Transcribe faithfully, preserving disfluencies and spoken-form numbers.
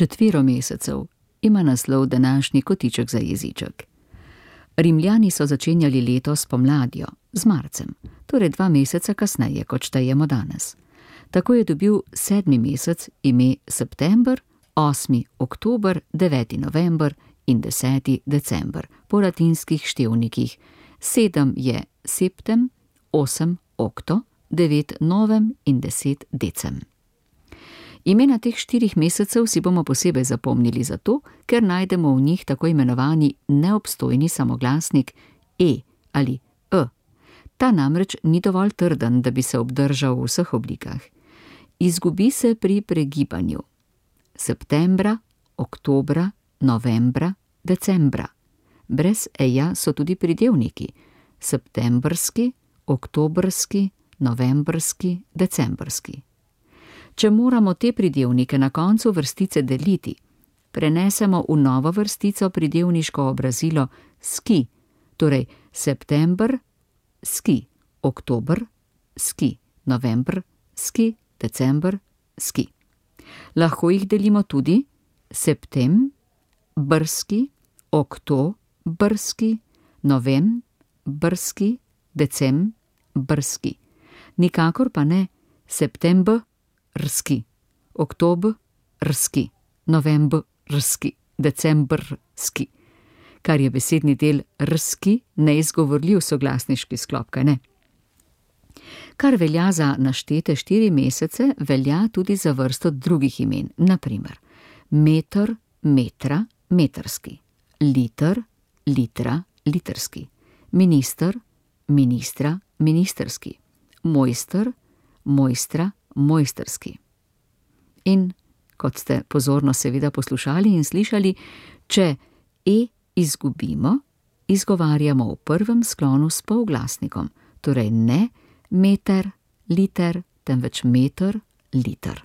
Četvero mesecev ima naslov današnji kotiček za jeziček. Rimljani so začenjali leto s pomladjo, z marcem, torej dva meseca kasneje, kot štejemo danes. Tako je dobil sedmi mesec ime september, osmi oktober, deveti november in deseti december po latinskih števnikih. Sedem je septem, osem okto, devet novem in deset decem. Imena teh štirih mesecev si bomo posebej zapomnili zato, ker najdemo v njih tako imenovani neobstojni samoglasnik e ali e. Ta namreč ni dovolj trden, da bi se obdržal v vseh oblikah. Izgubi se pri pregibanju. Septembra, oktobra, novembra, decembra. Brez eja so tudi pridevniki. Septembrski, oktobrski, novembrski, decembrski. Če moramo te pridevnike na koncu vrstice deliti, prenesemo v novo vrstico pridevniško obrazilo ski, torej september, ski, oktober, ski, november, ski, december, ski. Lahko jih delimo tudi septem, brski, okto, brski, novem, brski, decem, brski. Nikakor pa ne september, rski, oktober, rski, november, rski, december, rski, kar je besedni del rski neizgovorljiv soglasniški sklop, kaj ne? Kar velja za naštete štiri mesece, velja tudi za vrsto drugih imen, na primer meter, metra, metrski, liter, litra, litrski, minister, ministra, ministerski, mojster, mojstra, mojsterski. In, kot ste pozorno seveda poslušali in slišali, če e izgubimo, izgovarjamo v prvem sklonu s polglasnikom, torej ne meter, liter, temveč meter, liter.